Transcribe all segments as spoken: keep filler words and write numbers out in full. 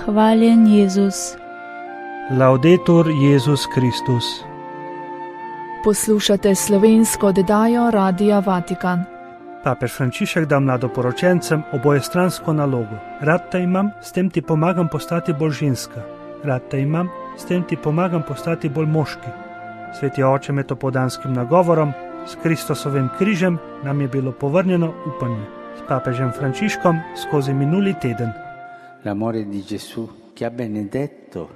Hvaljen Jezus. Laudetur Jezus Kristus. Poslušate slovensko oddajo Radia Vatikan. Papež Frančišek da mladoporočencem obojestransko nalogo. Rad te imam, s tem ti pomagam postati bolj ženska. Rad te imam, s tem ti pomagam postati bolj moški. Sveti oče med opoldanskim nagovorom, s Kristusovim križem nam je bilo povrnjeno upanje. S papežem Frančiškom skozi minuli teden. L'amore di Gesù che ha benedetto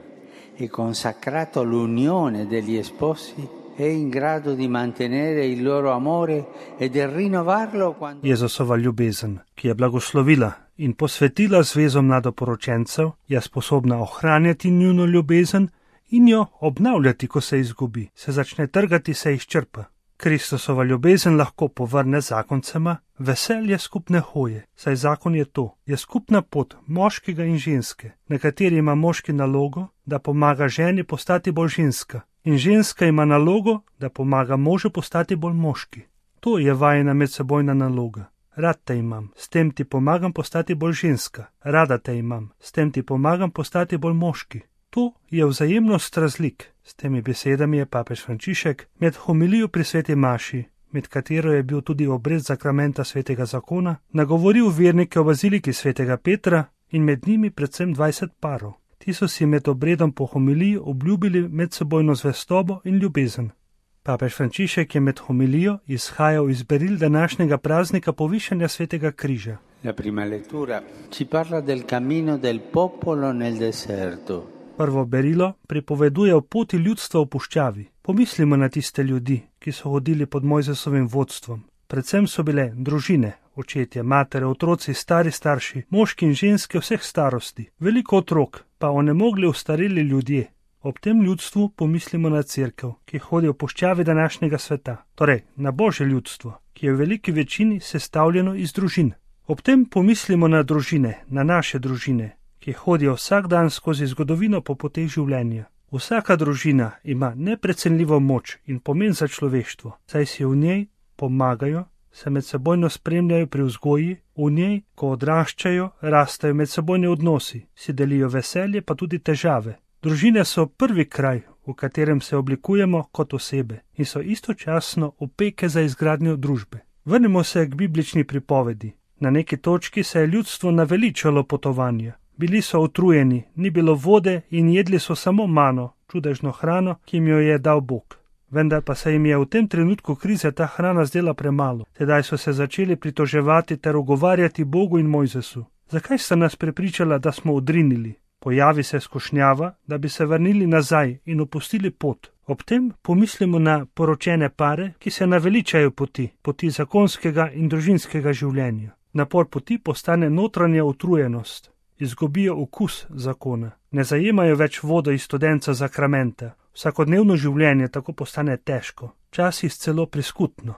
e consacrato l'unione degli sposi è in grado di mantenere il loro amore e di rinnovarlo quando... Jezusova ljubezen, ki je blagoslovila in posvetila zvezo mladoporočencev, je sposobna ohranjati njuno ljubezen in jo obnavljati, ko se izgubi, se začne trgati, se izčrpa. Kristusova ljubezen lahko povrne zakoncema veselje skupne hoje, saj zakon je to, je skupna pot moškega in ženske, na kateri ima moški nalogo, da pomaga ženi postati bolj ženska, in ženska ima nalogo, da pomaga možu postati bolj moški. To je vajina medsebojna naloga. Rad te imam, s tem ti pomagam postati bolj ženska. Rada te imam, s tem ti pomagam postati bolj moški. To je vzajemnost razlik. S temi besedami je papež Frančišek med homilijo pri sveti maši, med katero je bil tudi obred zakramenta svetega zakona, nagovoril vernike v baziliki svetega Petra in med njimi predvsem dvajset parov. Ti so si med obredom po homiliji obljubili medsebojno zvestobo in ljubezen. Papež Frančišek je med homilijo izhajal iz beril današnjega praznika povišanja svetega križa. La prima lettura ci parla del cammino del popolo nel deserto. Prvo berilo pripoveduje o poti ljudstva v puščavi. Pomislimo na tiste ljudi, ki so hodili pod Mojzesovim vodstvom. Predvsem so bile družine, očetje, matere, otroci, stari starši, moški in ženske vseh starosti, veliko otrok, pa onemogli ostareli ljudje. Ob tem ljudstvu pomislimo na cerkev, ki hodi v puščavi današnjega sveta, torej na Božje ljudstvo, ki je v veliki večini sestavljeno iz družin. Ob tem pomislimo na družine, na naše družine, ki hodijo vsak dan skozi zgodovino po poteh življenja. Vsaka družina ima neprecenljivo moč in pomen za človeštvo, saj si v njej pomagajo, se medsebojno spremljajo pri vzgoji, v njej, ko odraščajo, rastajo medsebojni odnosi, si delijo veselje pa tudi težave. Družine so prvi kraj, v katerem se oblikujemo kot osebe in so istočasno opeke za izgradnjo družbe. Vrnimo se k biblični pripovedi. Na neki točki se je ljudstvo naveličalo potovanja. Bili so utrujeni, ni bilo vode in jedli so samo mano, čudežno hrano, ki jim jo je dal Bog. Vendar pa se jim je v tem trenutku krize ta hrana zdela premalo. Tedaj so se začeli pritoževati ter ugovarjati Bogu in Mojzesu. Zakaj sta nas prepričala, da smo odrinili? Pojavi se skušnjava, da bi se vrnili nazaj in opustili pot. Ob tem pomislimo na poročene pare, ki se naveličajo poti, poti zakonskega in družinskega življenja. Napor poti postane notranja utrujenost. Izgubijo okus zakona, ne zajemajo več vode iz studenca zakramenta. Vsakodnevno življenje tako postane težko, včasih celo priskutno.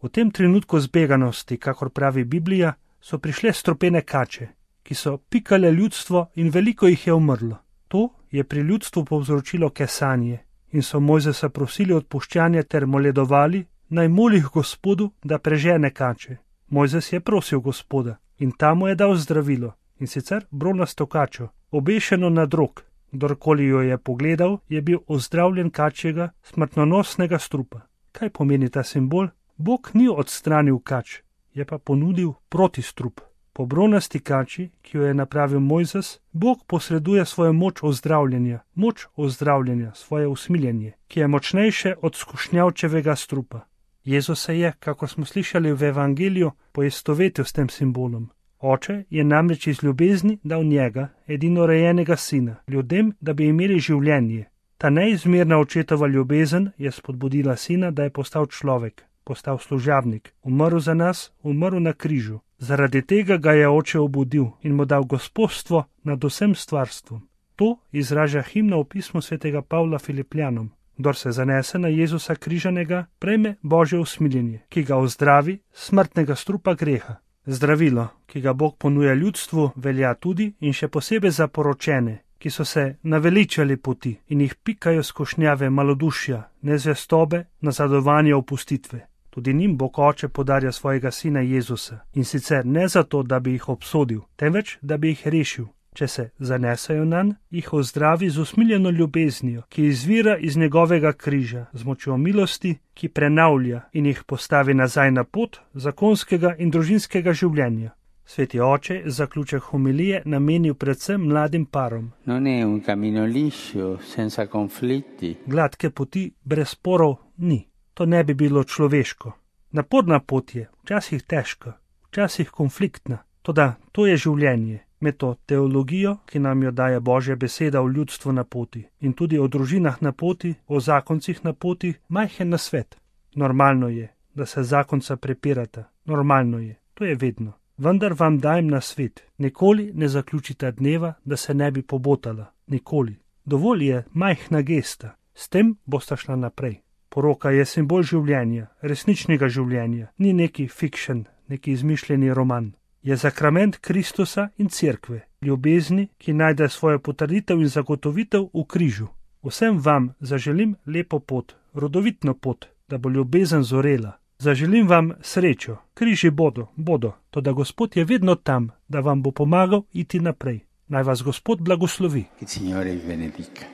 V tem trenutku zbeganosti, kakor pravi Biblija, so prišle strupene kače, ki so pikale ljudstvo in veliko jih je umrlo. To je pri ljudstvu povzročilo kesanje in so Mojzesa prosili odpuščanja ter moledovali, naj molih Gospodu, da prežene kače. Mojzes je prosil Gospoda in ta mu je dal zdravilo. In sicer bronasto kačo, obešeno na drog. Kdorkoli jo je pogledal, je bil ozdravljen kačjega smrtonosnega strupa. Kaj pomeni ta simbol? Bog ni odstranil kač, je pa ponudil protistrup. Po bronasti kači, ki jo je napravil Mojzes, Bog posreduje svojo moč ozdravljenja, moč ozdravljenja, svoje usmiljenje, ki je močnejše od skušnjavčevega strupa. Jezus se je, kako smo slišali v evangeliju, poistovetil s tem simbolom. Oče je namreč iz ljubezni dal njega, edinorojenega sina, ljudem, da bi imeli življenje. Ta neizmerna očetova ljubezen je spodbudila sina, da je postal človek, postal služabnik, umrl za nas, umrl na križu. Zaradi tega ga je oče obudil in mu dal gospodstvo nad vsem stvarstvom. To izraža himna v pismu svetega Pavla Filipljanom. Kdor se zanese na Jezusa križanega, prejme Božje usmiljenje, ki ga ozdravi smrtnega strupa greha. Zdravilo, ki ga Bog ponuja ljudstvu, velja tudi in še posebej za poročene, ki so se naveličali poti in jih pikajo skušnjave malodušja, nezvestobe, nazadovanja, opustitve. Tudi njim Bog Oče podarja svojega sina Jezusa in sicer ne zato, da bi jih obsodil, temveč da bi jih rešil. Če se zanesajo nanj, jih ozdravi z usmiljeno ljubeznijo, ki izvira iz njegovega križa, z močjo milosti, ki prenavlja in jih postavi nazaj na pot zakonskega in družinskega življenja. Sveti oče zaključek homilije namenil predvsem mladim parom. Non è un cammino liscio, senza conflitti. Gladke poti brez sporov ni. To ne bi bilo človeško. Naporna pot je, včasih težka, včasih konfliktna, toda to je življenje. Med to teologijo, ki nam jo daje Božja beseda o ljudstvu na poti in tudi o družinah na poti, o zakoncih na poti, majhen nasvet. Normalno je, da se zakonca prepirata. Normalno je, to je vedno. Vendar vam dajem nasvet, nikoli ne zaključite dneva, da se ne bi pobotala. Nikoli. Dovolj je majhna gesta, s tem boste šla naprej. Poroka je simbol življenja, resničnega življenja, ni neki fiction, neki izmišljeni roman. Je zakrament Kristusa in cerkve, ljubezni, ki najde svojo potrditev in zagotovitev v križu. Vsem vam zaželim lepo pot, rodovitno pot, da bo ljubezen zorela. Zaželim vam srečo, križi bodo, bodo, toda Gospod je vedno tam, da vam bo pomagal iti naprej. Naj vas Gospod blagoslovi. Il Signore vi benedica.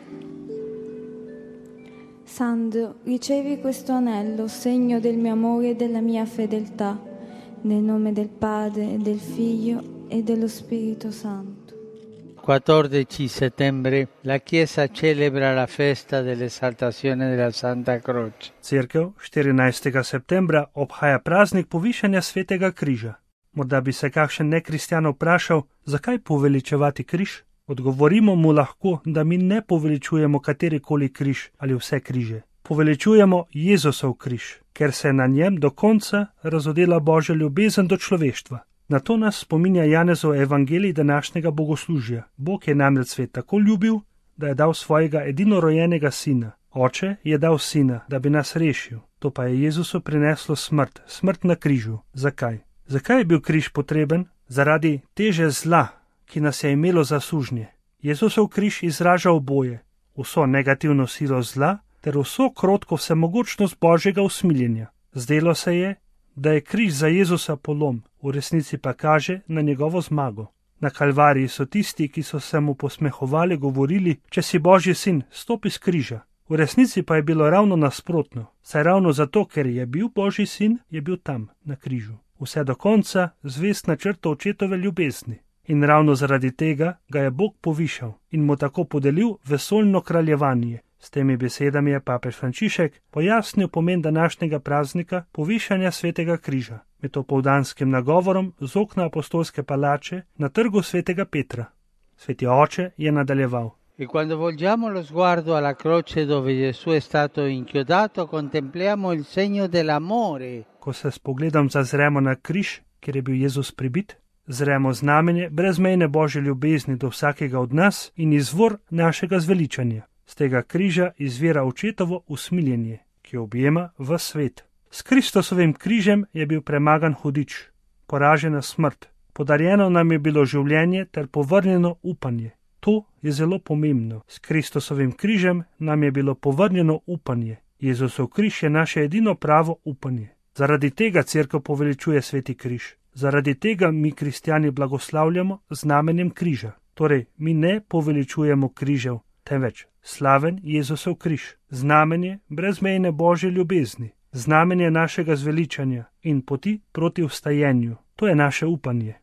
Sandro, ricevi questo anello, segno del mio amore e della mia fedeltà. Nel nome del Padre, e del Figlio e dello Spirito Santo. quattordici settembre la Chiesa celebra la festa dell'esaltazione della Santa Croce. Cerkev štirinajstega septembra obhaja praznik povišanja svetega križa. Morda bi se kakšen nekristjan vprašal, zakaj poveličevati križ? Odgovorimo mu lahko, da mi ne poveličujemo katerikoli križ ali vse križe. Poveličujemo Jezusov križ, ker se je na njem do konca razodela Božja ljubezen do človeštva. Na to nas spominja Janezov evangelij današnjega bogoslužja. Bog je namreč svet tako ljubil, da je dal svojega edinorojenega sina. Oče je dal sina, da bi nas rešil. To pa je Jezusu prineslo smrt, smrt na križu. Zakaj? Zakaj je bil križ potreben? Zaradi teže zla, ki nas je imelo za sužnje. Jezusov križ izraža oboje, vso negativno silo zla ter vso krotko vsemogočnost Božjega usmiljenja. Zdelo se je, da je križ za Jezusa polom, v resnici pa kaže na njegovo zmago. Na Kalvariji so tisti, ki so se mu posmehovali, govorili, če si Božji sin, stopi s križa. V resnici pa je bilo ravno nasprotno, saj ravno zato, ker je bil Božji sin, je bil tam, na križu. Vse do konca zvest načrtu očetove ljubezni. In ravno zaradi tega ga je Bog povišal in mu tako podelil vesoljno kraljevanje. S temi besedami je papež Frančišek pojasnil pomen današnjega praznika povišanja svetega križa med opoldanskim nagovorom z okna apostolske palače na trgu svetega Petra. Sveti oče je nadaljeval. E quando volgiamo lo sguardo alla croce dove Gesù è stato inchiodato, contempliamo il segno dell'amore. Ko se s pogledom zazremo na križ, kjer je bil Jezus pribit, zremo znamenje brezmejne Božje ljubezni do vsakega od nas in izvor našega zveličanja. Z tega križa izvira očetovo usmiljenje, ki objema v svet. S Kristusovim križem je bil premagan hudič, poražena smrt, podarjeno nam je bilo življenje ter povrnjeno upanje. To je zelo pomembno. S Kristusovim križem nam je bilo povrnjeno upanje. Jezusov križ je naše edino pravo upanje. Zaradi tega cerkev poveličuje sveti križ. Zaradi tega mi kristjani blagoslavljamo znamenjem križa. Torej, mi ne poveličujemo križev, temveč slaven Jezusov križ, znamenje brezmejne Božje ljubezni, znamenje našega zveličanja in poti proti vstajenju. To je naše upanje.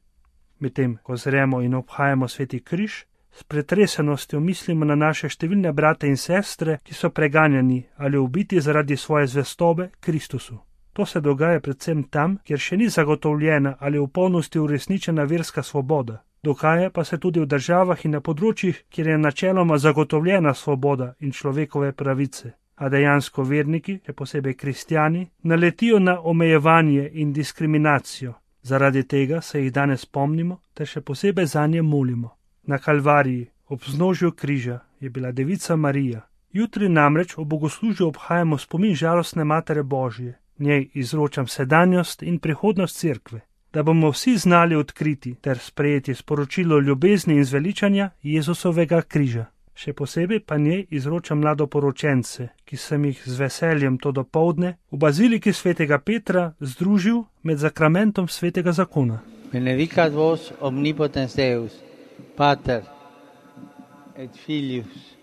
Medtem, ko zremo in obhajamo sveti križ, s pretresenostjo mislimo na naše številne brate in sestre, ki so preganjani ali ubiti zaradi svoje zvestobe Kristusu. To se dogaja predvsem tam, kjer še ni zagotovljena ali v polnosti uresničena verska svoboda. Dogaja pa se tudi v državah in na področjih, kjer je načeloma zagotovljena svoboda in človekove pravice. A dejansko verniki, še posebej kristjani, naletijo na omejevanje in diskriminacijo. Zaradi tega se jih danes spomnimo, ter še posebej zanje molimo. Na Kalvariji, ob vznožju križa, je bila devica Marija. Jutri namreč ob bogoslužju obhajamo spomin žalostne Matere Božje. Njej izročam sedanjost in prihodnost cerkve, da bomo vsi znali odkriti ter sprejeti sporočilo ljubezni in zveličanja Jezusovega križa. Še posebej pa njej izročam mladoporočence, ki sem jih z veseljem to dopoldne v baziliki svetega Petra združil med zakramentom svetega zakona. Benedicat vos omnipotens Deus, Pater et Filius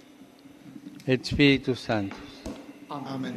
et Spiritus Sanctus. Amen.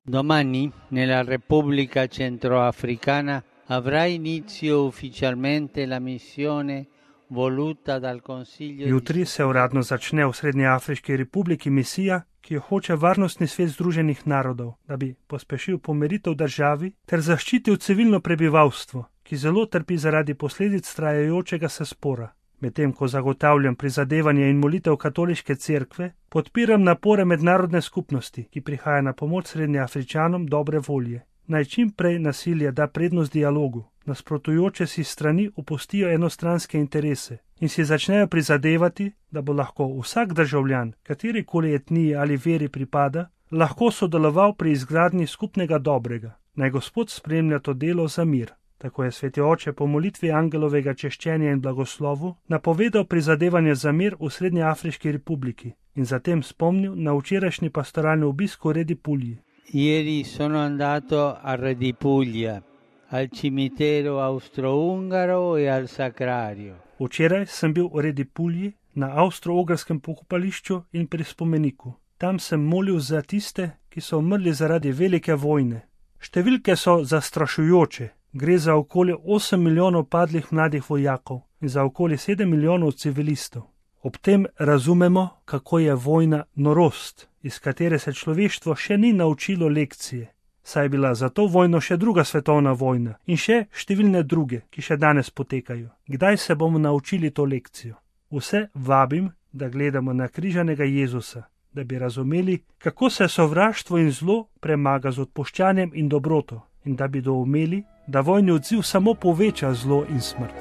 Domani nella Repubblica Centroafricana avrà inizio ufficialmente la missione voluta dal Consiglio. Jutri se uradno začne v Srednjeafriški republiki misija, ki jo hoče Varnostni svet Združenih narodov, da bi pospešil pomiritev v državi ter zaščitil civilno prebivalstvo, ki zelo trpi zaradi posledic trajajočega se spora. Medtem ko zagotavljam prizadevanje in molitev katoliške cerkve, podpiram napore mednarodne skupnosti, ki prihaja na pomoč Srednjeafričanom dobre volje. Naj čim prej nasilje da prednost dialogu, nasprotujoče si strani opustijo enostranske interese in si začnejo prizadevati, da bo lahko vsak državljan, katerikoli etniji ali veri pripada, lahko sodeloval pri izgradnji skupnega dobrega. Naj Gospod spremlja to delo za mir. Tako je Sveti Oče po molitvi angelovega češčenja in blagoslovu napovedal prizadevanje za mir v Srednjeafriški republiki in zatem spomnil na včerajšnji pastoralni obisk v Redi Pulji. Ieri sono andato a Redi Puglia, al cimitero austro-ungaro e al sacrario. Včeraj sem bil v Redi Pulji na avstro-ogrskem pokopališču in pri spomeniku. Tam sem molil za tiste, ki so umrli zaradi velike vojne. Številke so zastrašujoče. Gre za okoli osem milijonov padlih mladih vojakov in za okoli sedem milijonov civilistov. Ob tem razumemo, kako je vojna norost, iz katere se človeštvo še ni naučilo lekcije. Saj je bila za to vojno še druga svetovna vojna in še številne druge, ki še danes potekajo. Kdaj se bomo naučili to lekcijo? Vse vabim, da gledamo na križanega Jezusa, da bi razumeli, kako se sovraštvo in zlo premaga z odpuščanjem in dobroto in da bi doumeli, da vojni odziv samo poveča zlo in smrt.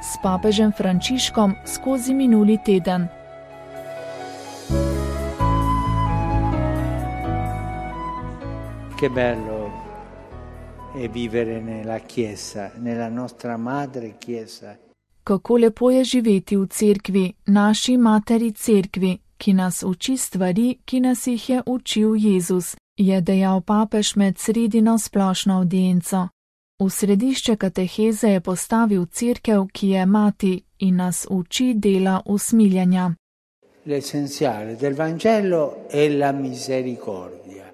S papežem Frančiškom skozi minuli teden. Che bello è vivere nella Chiesa, nella nostra madre Chiesa. Kako lepo je živeti v cerkvi, naši materi cerkvi, ki nas uči stvari, ki nas jih je učil Jezus, je dejal papež med sredino splošno avdienco. V središče kateheze je postavil cerkev, ki je mati in nas uči dela usmiljanja. L'essenziale del Vangelo è la misericordia.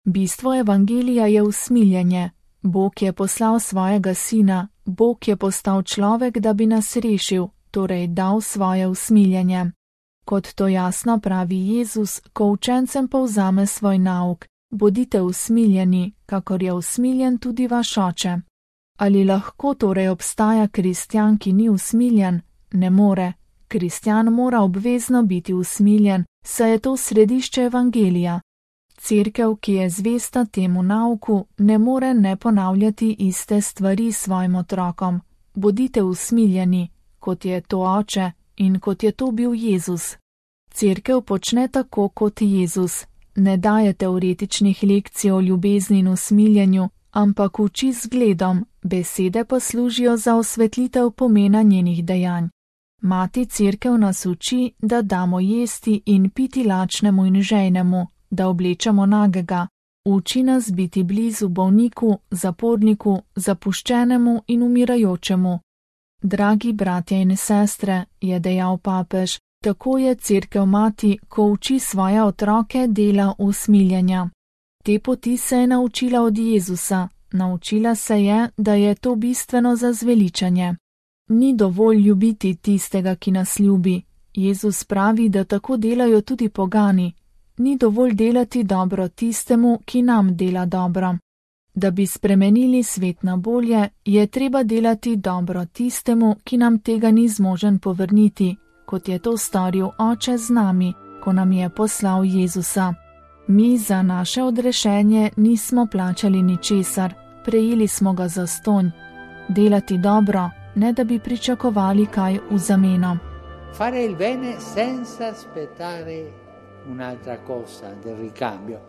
Bistvo evangelija je usmiljanje. Bog je poslal svojega sina, Bog je postal človek, da bi nas rešil, torej dal svoje usmiljanje. Kot to jasno pravi Jezus, ko učencem povzame svoj nauk, bodite usmiljeni, kakor je usmiljen tudi vaš oče. Ali lahko torej obstaja kristjan, ki ni usmiljen? Ne more. Kristjan mora obvezno biti usmiljen, saj je to središče evangelija. Cerkev, ki je zvesta temu nauku, ne more ne ponavljati iste stvari svojim otrokom. Bodite usmiljeni, kot je to oče in kot je to bil Jezus. Cerkev počne tako kot Jezus. Ne daje teoretičnih lekcij o ljubezni in usmiljenju, ampak uči z zgledom, besede pa služijo za osvetlitev pomena njenih dejanj. Mati cerkev nas uči, da damo jesti in piti lačnemu in žejnemu, da oblečemo nagega. Uči nas biti blizu bolniku, zaporniku, zapuščenemu in umirajočemu. Dragi bratje in sestre, je dejal papež, tako je cerkev mati, ko uči svoje otroke dela usmiljanja. Te poti se je naučila od Jezusa, naučila se je, da je to bistveno za zveličanje. Ni dovolj ljubiti tistega, ki nas ljubi. Jezus pravi, da tako delajo tudi pogani. Ni dovolj delati dobro tistemu, ki nam dela dobro. Da bi spremenili svet na bolje, je treba delati dobro tistemu, ki nam tega ni zmožen povrniti, kot je to storil Oče z nami, ko nam je poslal Jezusa. Mi za naše odrešenje nismo plačali ničesar, prejeli smo ga zastonj. Delati dobro, ne da bi pričakovali kaj v zameno. Fare il bene senza aspettare un'altra cosa del ricambio.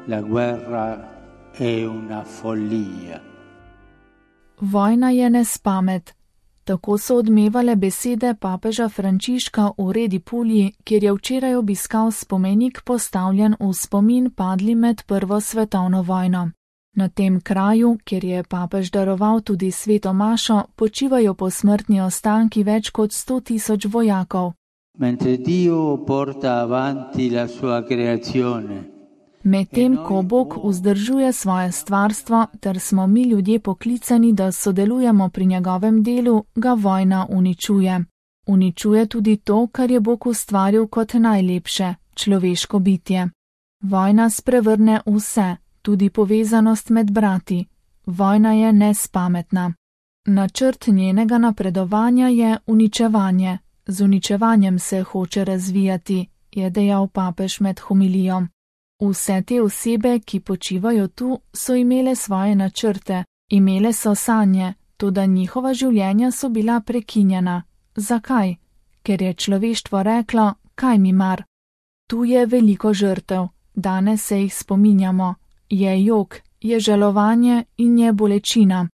La guerra è una follia. Vojna je nespamet. Tako so odmevale besede papeža Frančiška v Redi Pulji, kjer je včeraj obiskal spomenik postavljen v spomin padli med Prvo svetovno vojno. Na tem kraju, kjer je papež daroval tudi sveto mašo, počivajo posmrtni ostanki več kot sto tisoč vojakov. Mentre Dio porta avanti la sua creazione. Medtem ko Bog vzdržuje svoje stvarstvo, ter smo mi ljudje poklicani, da sodelujemo pri njegovem delu, ga vojna uničuje. Uničuje tudi to, kar je Bog ustvaril kot najlepše, človeško bitje. Vojna sprevrne vse, tudi povezanost med brati. Vojna je nespametna. Načrt njenega napredovanja je uničevanje. Z uničevanjem se hoče razvijati, je dejal papež med homilijo. Vse te osebe, ki počivajo tu, so imele svoje načrte, imele so sanje, toda njihova življenja so bila prekinjena. Zakaj? Ker je človeštvo reklo, kaj mi mar? Tu je veliko žrtev, danes se jih spominjamo. Je jok, je žalovanje in je bolečina.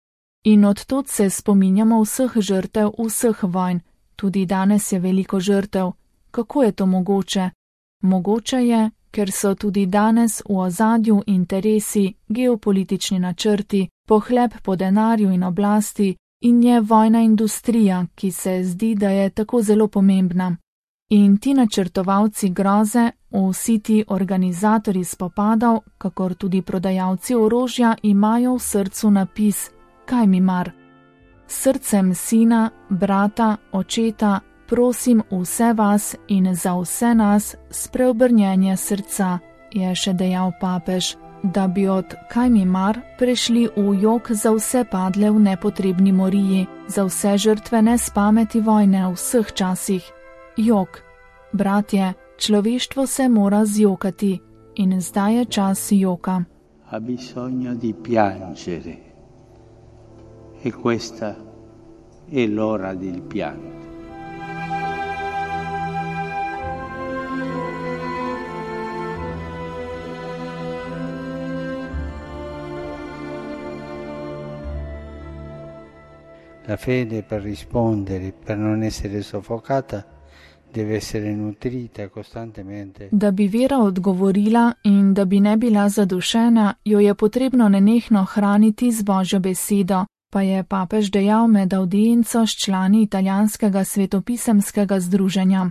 In odtod se spominjamo vseh žrtev, vseh vojn. Tudi danes je veliko žrtev. Kako je to mogoče? Mogoče je, ker so tudi danes v ozadju interesi, geopolitični načrti, pohleb po denarju in oblasti in je vojna industrija, ki se zdi, da je tako zelo pomembna. In ti načrtovalci groze, vsi ti organizatorji spopadov, kakor tudi prodajalci orožja, imajo v srcu napis, kaj mi mar? Srcem sina, brata, očeta, prosim vse vas in za vse nas spreobrnjenje srca, je še dejal papež, da bi od kaj mi mar prešli v jok za vse padle v nepotrebni moriji, za vse žrtve nespameti vojne v vseh časih. Jok. Bratje, človeštvo se mora zjokati in zdaj je čas joka. Ha bisogno di piangere. E questa è l'ora del pianto. La fede per rispondere, per non essere soffocata, deve essere nutrita costantemente. Da bi vera odgovorila in da bi ne bila zadušena, jo je potrebno nenehno hraniti z Božjo besedo, pa je papež dejal med avdienco s člani italijanskega svetopisemskega združenja.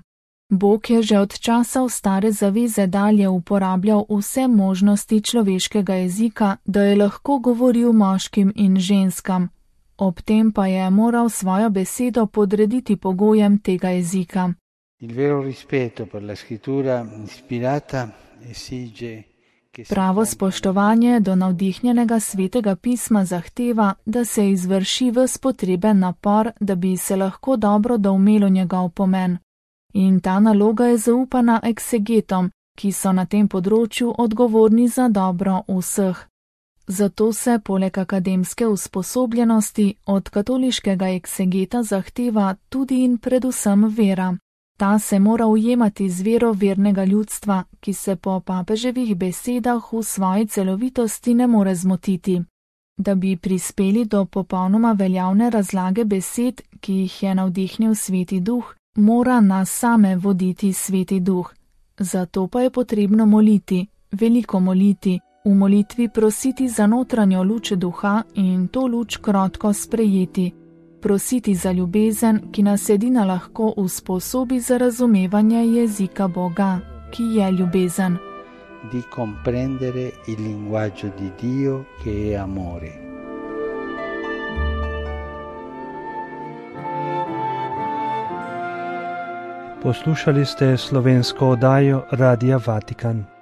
Bog je že od časov stare zaveze dalje uporabljal vse možnosti človeškega jezika, da je lahko govoril moškim in ženskam. Ob tem pa je moral svojo besedo podrediti pogojem tega jezika. Il vero rispetto per la scrittura ispirata esige che Pravo spoštovanje do navdihnjenega svetega pisma zahteva, da se izvrši ves potreben napor, da bi se lahko dobro doumelo njegov pomen. In ta naloga je zaupana eksegetom, ki so na tem področju odgovorni za dobro vseh. Zato se poleg akademske usposobljenosti od katoliškega eksegeta zahteva tudi in predvsem vera. Ta se mora ujemati z vero vernega ljudstva, ki se po papeževih besedah v svoji celovitosti ne more zmotiti. Da bi prispeli do popolnoma veljavne razlage besed, ki jih je navdihnil Sveti Duh, mora nas same voditi Sveti Duh. Zato pa je potrebno moliti, veliko moliti, v molitvi prositi za notranjo luč duha in to luč krotko sprejeti. Prositi za ljubezen, ki nas edina lahko usposobi za razumevanje jezika Boga, ki je ljubezen. Di comprendere il linguaggio di Dio che è amore. Poslušali ste slovensko oddajo Radia Vatikan.